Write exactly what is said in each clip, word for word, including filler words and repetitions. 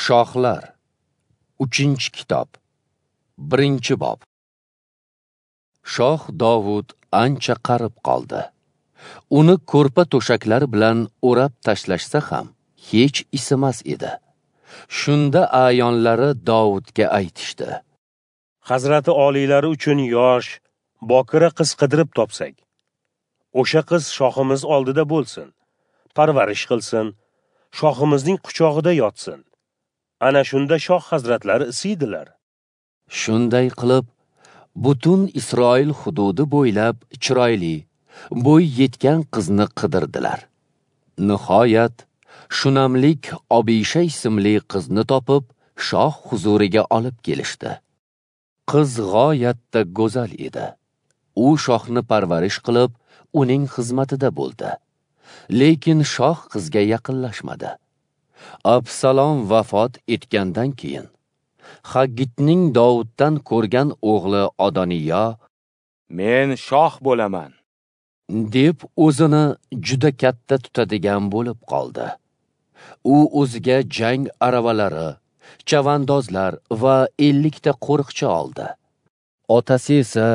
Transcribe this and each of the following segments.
Shohlar, uchinchi kitob, birinchi bob. Shoh Dovud ancha qarib qoldi. Uni ko'rpa to'shaklar bilan o'rab tashlashsa ham hech isimas edi. Shunda a'yonlari Dovudga aytishdi: Hazrati oliylari uchun yosh, bokira qiz qidirib topsak, o'sha qiz shohimiz oldida bo'lsin, parvarish qilsin, shohimizning quchog'ida yotsin. Ana shunda shoh hazratlari isiydilar. Shunday qilib, butun Isroil hududi bo'ylab chiroyli, bo'y yetgan qizni qidirdilar. Nihoyat, Shunamlik Obisha ismli qizni topib, shoh huzuriga olib kelishdi. Qiz g'oyatda go'zal edi. U shohni parvarish qilib, uning xizmatida bo'ldi. Lekin shoh qizga yaqinlashmadi. Absalom vafot etgandan keyin Haggitning Dovuddan ko'rgan o'g'li Odoniyo "Men shoh bo'laman" deb o'zini juda katta tutadigan bo'lib qoldi. U o'ziga jang aravalari, chavandozlar va ellikta qo'riqchi oldi. Otasi esa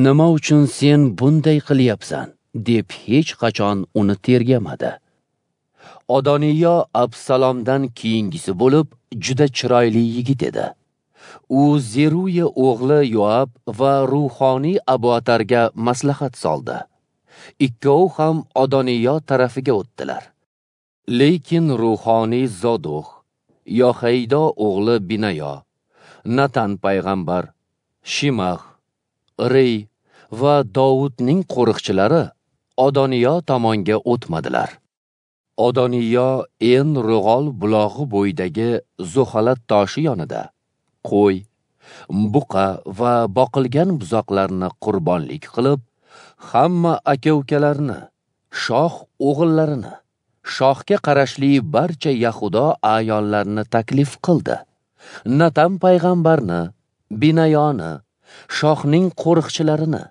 "Nima uchun sen bunday qilyapsan?" deb hech qachon uni tergamadi. Odoniyo Absalomdan keyingisi bo'lib, juda chiroyli yigit edi. U Zeruya o'g'li Yoab va ruhoniy Abuatarga maslahat soldi. Ikkovi ham Odoniyo tarafiga o'tdilar. Lekin ruhoniy Zodoq, Yohaydo o'g'li Binayo, Natan payg'ambar, Shimax, Rey va Dovudning qo'riqchilari Odoniyo tomonga o'tmadilar. Odoniyo En Ro'g'ol bulog'i bo'yidagi Zuhalat toshi yonida qo'y, buqa va boqilgan buzoqlarni qurbonlik qilib, hamma aka-ukalarni, shoh o'g'illarini, shohga qarashli barcha Yahudo a'yonlarini taklif qildi. Natan payg'ambarni, Binayoni, shohning qo'riqchilarini,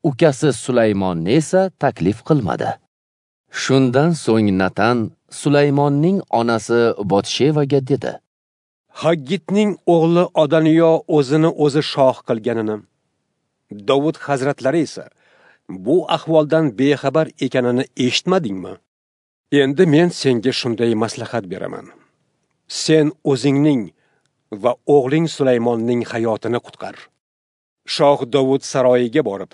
ukasi Sulaymonni esa taklif qilmadi. Shundan so'ng Natan Sulaymonning onasi Botshevaga dedi: Haggitning o'g'li Odoniyo o'zini o'zi shoh qilganini, Dovud hazratlari esa bu ahvoldan bexabar ekanini eshitmadingmi? Endi men senga shunday maslahat beraman. Sen o'zingning va o'g'ling Sulaymonning hayotini qutqar. Shoh Dovud saroyiga borib,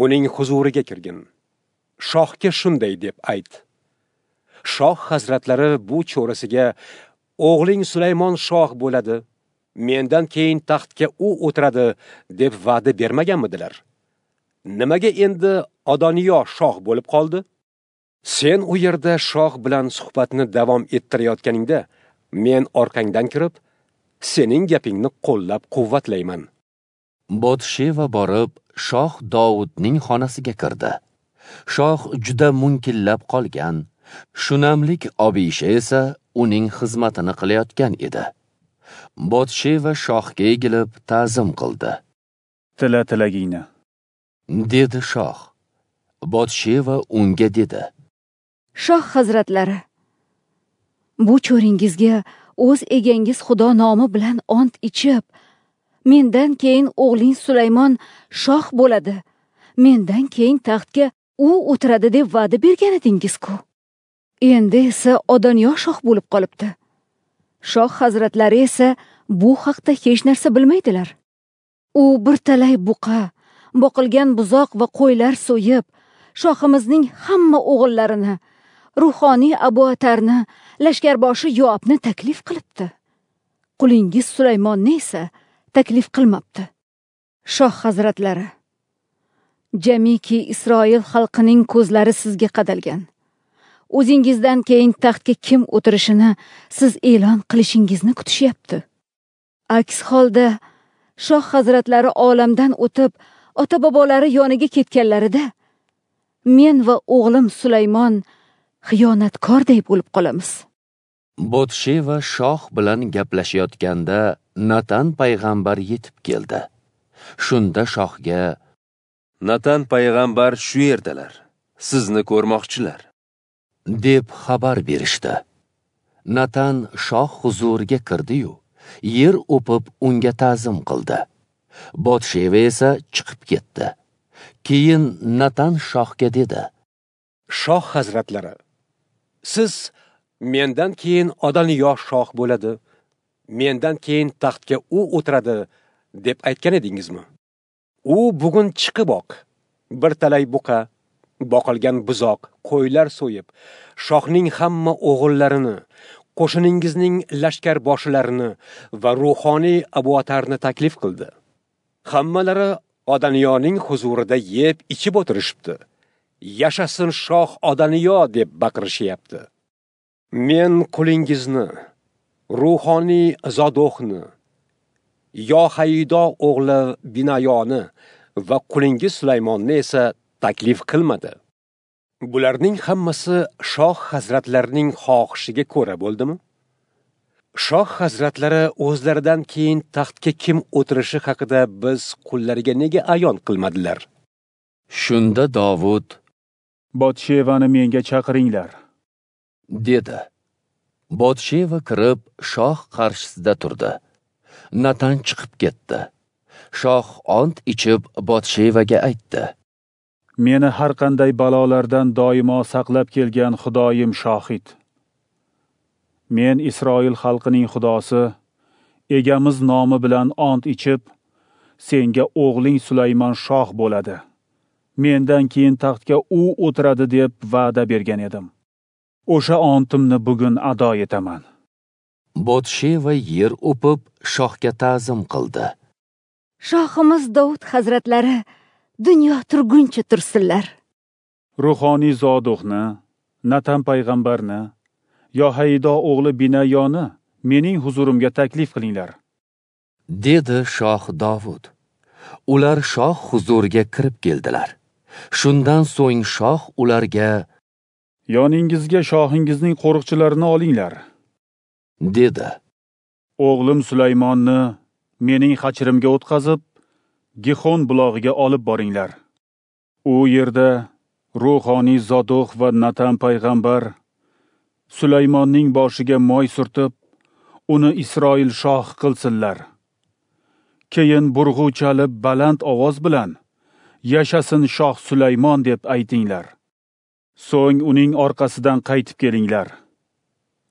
uning huzuriga kirgin. Shohga shunday deb ayt: Shoh hazratlari bu cho'risiga o'g'ling Sulaymon shoh bo'ladi, mendan keyin taxtga u o'tiradi deb va'da bermaganmidilar? Nimaga endi Odoniyo shoh bo'lib qoldi? Sen u yerda shoh bilan suhbatni davom ettirayotganingda, men orqangdan kirib, sening gapingni qo'llab quvvatlayman. Botsheva borib, shoh Dovudning xonasiga kirdi. Shoh juda munkillab qolgan, Shunamlik Obisha esa uning xizmatini qilayotgan edi. Botsheva shohga egilib ta'zim qildi. "Tila tilagingni", dedi shoh. Botsheva unga dedi: "Shoh hazratlari, bu cho'ringizga o'z egangiz Xudo nomi bilan ont ichib, mendan keyin o'g'ling Sulaymon shoh bo'ladi, mendan keyin taxtga u o'tiradi deb va'da bergan edingiz-ku. Endi esa Odoniyo shoh bo'lib qolibdi. Shoh hazratlari esa bu haqda hech narsa bilmaydilar. U bir talay buqa, boqilgan buzoq va qo'ylar so'yib, shohimizning hamma o'g'illarini, ruhoniy Abuatarni, lashkarboshi Yoabni taklif qilibdi. Qulingiz Sulaymonni esa taklif qilmabdi. Shoh hazratlari, jamiki Isroil xalqining ko'zlari sizga qadalgan. O'zingizdan keyin taxtga kim o'tirishini siz e'lon qilishingizni kutishyapti. Aks holda shoh hazratlari olamdan o'tib, ota-bobolari yoniga ketganlarida men va o'g'lim Sulaymon xiyonatkorday bo'lib qolamiz." Botsheva shoh bilan gaplashayotganda Natan payg'ambar yetib keldi. Shunda shohga: "Natan payg'ambar shu yerdalar, sizni ko'rmoqchilar", deb xabar berishdi. Natan shoh huzuriga kirdi-yu, yer o'pib unga ta'zim qildi. Botsheva esa chiqib ketdi. Keyin Natan shohga dedi: Shoh hazratlari, siz mendan keyin Odoniyo shoh bo'ladi, mendan keyin taxtga u o'tiradi deb aytgan edingizmi? U bugun chiqiboq bir talay buqa, boqilgan buzoq, qo'ylar so'yib, shohning hamma o'g'illarini, qo'shiningizning lashkar boshilarini va ruhoniy Abuatarni taklif qildi. Hammalari Odoniyoning huzurida yeb ichib o'tirishibdi. Yashasin shoh Odoniyo deb baqirishyapti. Men qulingizni, ruhoniy Zodohni, Yohaydo o'g'li Binayoni va qulingiz Sulaymonni esa taklif qilmadi. Bularning hammasi shoh hazratlarining xohishiga ko'ra bo'ldimi? Shoh hazratlari o'zlaridan keyin taxtga kim o'tirishi haqida biz qullariga nega ayon qilmadilar? Shunda Dovud: Botshevani menga chaqiringlar, dedi. Botsheva kirib shoh qarshisida turdi. Natan chiqib ketdi. Shoh ont ichib Botshevaga aytdi: Meni har qanday balolardan doimo saqlab kelgan Xudoyim shohid. Men Isroil xalqining Xudosi, egamiz nomi bilan ont ichib, senga o'g'ling Sulaymon shoh bo'ladi. Mendan keyin taxtga u o'tiradi deb va'da bergan edim. O'sha ontimni bugun ado etaman. Botsheva yer o'pib shohga ta'zim qildi. Shohimiz Dovud hazratlari dunyo turguncha tursinlar. Ruhoniy Zodohni, Natan payg'ambarni, Yohaydo o'g'li Binayoni mening huzurimga taklif qilinglar, dedi shoh Dovud. Ular shoh huzuriga kirib keldilar. Shundan so'ng shoh ularga: Yoningizga shohingizning qo'riqchilarini olinglar, dedi. O'g'lim Sulaymonni mening hachirimga o'tkazib, Gihon bulog'iga olib boringlar. U yerda ruhoniy Zodoh va Natan payg'ambar Sulaymonning boshiga moy surtib, uni Isroil shoh qilsinlar. Keyin burg'u chalib baland ovoz bilan Yashasin shoh Sulaymon deb aytinglar. So'ng uning orqasidan qaytib kelinglar.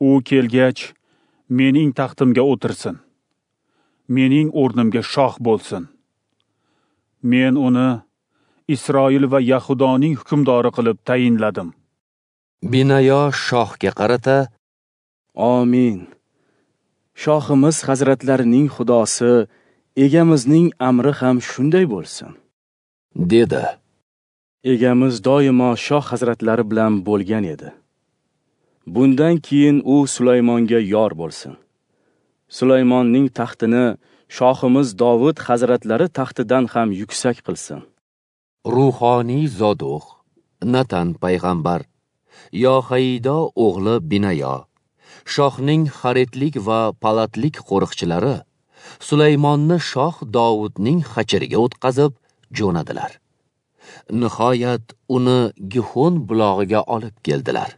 U kelgach, mening taxtimga o'tirsin. Mening o'rnimga shoh bo'lsin. Men uni Isroil va Yahudoning hukmdori qilib tayinladim. Binayo shohga qarata: Amin. Shohimiz hazratlarining Xudosi, egamizning amri ham shunday bo'lsin, dedi. Egamiz doimo shoh hazratlari bilan bo'lgan edi. Bundan keyin u Sulaymonga yor bo'lsin. Sulaymonning taxtini shohimiz Dovud hazratlari taxtidan ham yuksak qilsin. Ruhoniy Zodoh, Natan payg'ambar, Yohaydo o'g'li Binayo, shohning xaritlik va palatlik qo'riqchilari Sulaymonni shoh Dovudning hachiriga o'tkazib jo'nadilar. Nihoyat uni Gihon bulog'iga olib keldilar.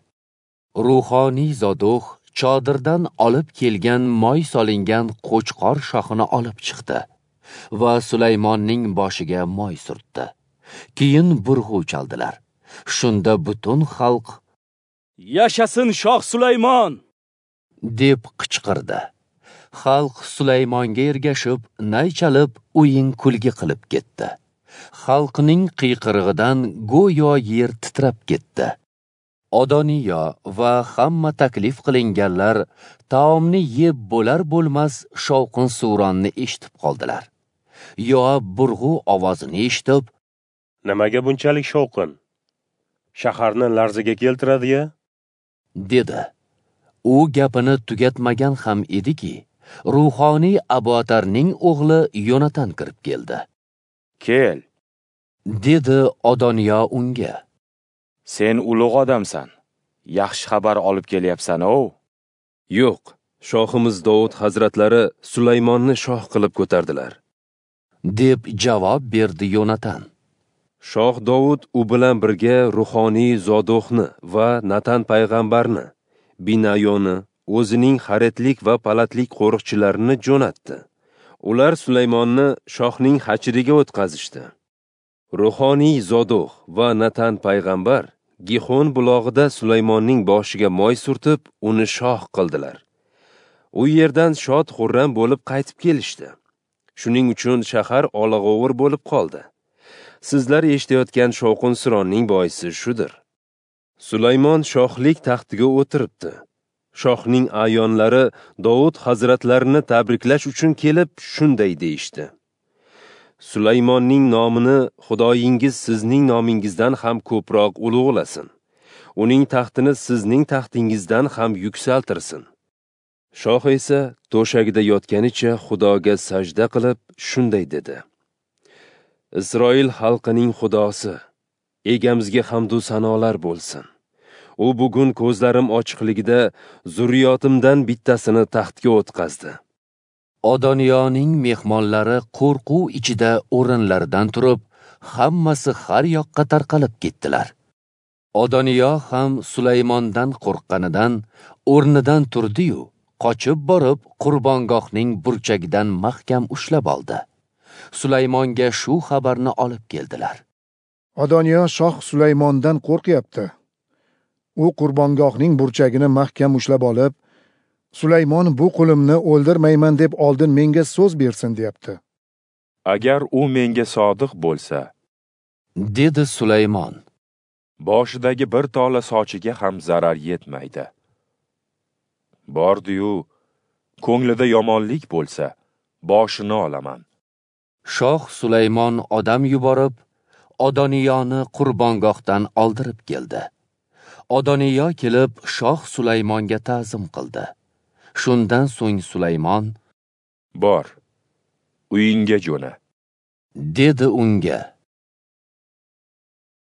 Ruhoniy Zodoh chodirdan olib kelgan moy solingan qo'chqor shoxini olib chiqdi va Sulaymonning boshiga moy surtdi. Keyin burg'u chaldilar. Shunda butun xalq: Yashasin shoh Sulaymon! deb qichqirdi. Xalq Sulaymonga ergashib, nay chalib, o'yin kulgi qilib ketdi. Xalqning qiyqirig'idan go'yo yer titrab ketdi. Odoniyo va hamma taklif qilinganlar taomni yeb bo'lar bo'lmas shovqin suvronni eshitib qoldilar. Yoab burg'u ovozini eshitib, Nimaga bunchalik shovqin? Shaharni larzaga keltiradi-ya? dedi. U gapini tugatmagan ham ediki, ruhoniy Abuatarning o'g'li Yonatan kirib keldi. Kel, dedi Odoniyo unga. Sen ulug' odamsan. Yaxshi xabar olib kelyapsan-ov. Yo'q, shohimiz Dovud hazratlari Sulaymonni shoh qilib ko'tardilar, deb javob berdi Yonatan. Shoh Dovud u bilan birga ruhoniy Zodohni va Natan payg'ambarni, Binayoni, o'zining xaretlik va palatlik qo'riqchilarini jo'natdi. Ular Sulaymonni shohning xachiriga o'tkazishdi. Ruhoniy Zodoq va Natan payg'ambar Gihon bulog'ida Sulaymonning boshiga moy surtib, uni shoh qildilar. U yerdan shod xurram bo'lib qaytib kelishdi. Shuning uchun shahar olag'ovur bo'lib qoldi. Sizlar eshitayotgan shovqin-suronning boisi shudir. Sulaymon shohlik taxtiga o'tiribdi. Shohning a'yonlari Dovud hazratlarini tabriklash uchun kelib shunday deyishdi: Sulaymonning nomini Xudoyingiz sizning nomingizdan ham ko'proq ulug'lasin. Uning taxtini sizning taxtingizdan ham yuksaltirsin. Shoh esa to'shagida yotganicha Xudoga sajda qilib shunday dedi: Isroil xalqining Xudosi, egamizga hamd u sanolar bo'lsin. U bugun ko'zlarim ochiqligida zurriyotimdan bittasini taxtga o'tqazdi. Odoniyoning mehmonlari qo'rquv ichida o'rinlaridan turib, hammasi har yoqqa tarqalib ketdilar. Odoniyo ham Sulaymondan qo'rqqanidan o'rnidan turdi-yu, qochib borib qurbongohning burchagidan mahkam ushlab oldi. Sulaymonga shu xabarni olib keldilar. Odoniyo shoh Sulaymondan qo'rqyapti. U qurbongohning burchagini mahkam ushlab olib, Sulaymon bu qulimni o'ldirmayman deb oldin menga so'z bersin deyapti. Agar u menga sodiq bo'lsa, dedi Sulaymon, boshidagi bir tola sochiga ham zarar yetmaydi. Bordi-yu, ko'nglida yomonlik bo'lsa, boshini olaman. Shoh Sulaymon odam yuborib, Odoniyoni qurbongohdan oldirib keldi. Odoniyo kelib shoh Sulaymonga ta'zim qildi. Shundan so'ng Sulaymon: Bor, uyingga jo'na, dedi unga.